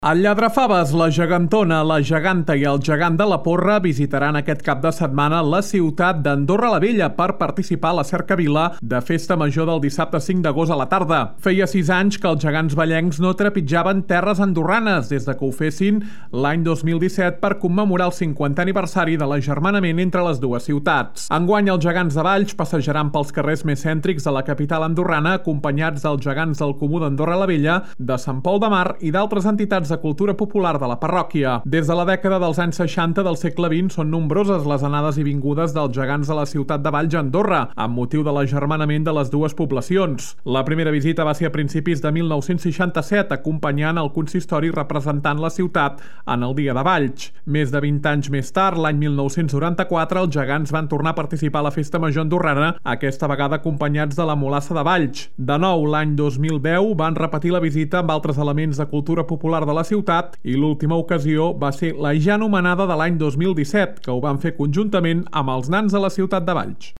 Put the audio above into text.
El Lladrafaves, la Gegantona, la Geganta i el Gegant de la Porra visitaran aquest cap de setmana la ciutat d'Andorra la Vella per participar a la cercavila de Festa Major del dissabte 5 d'agost a la tarda. Feia 6 anys que els gegants vallencs no trepitjaven terres andorranes des de que ho fessin l'any 2017 per commemorar el 50è aniversari de l'agermanament entre les dues ciutats. Enguany, els gegants de Valls passejaran pels carrers més cèntrics de la capital andorrana acompanyats dels gegants del Comú d'Andorra la Vella, de Sant Pol de Mar i d'altres entitats de cultura popular de la parròquia. Des de la dècada dels anys 60 del segle XX són nombroses les anades i vingudes dels gegants de la ciutat de Valls a Andorra, amb motiu de l'agermanament de les dues poblacions. La primera visita va ser a principis de 1967, acompanyant el consistori representant la ciutat en el Dia de Valls. Més de 20 anys més tard, l'any 1994, els gegants van tornar a participar a la Festa Major andorrana, aquesta vegada acompanyats de la Mulassa de Valls. De nou, l'any 2010 van repetir la visita amb altres elements de cultura popular de la ciutat i l'última ocasió va ser la ja anomenada de l'any 2017, que ho van fer conjuntament amb els nans de la ciutat de Valls.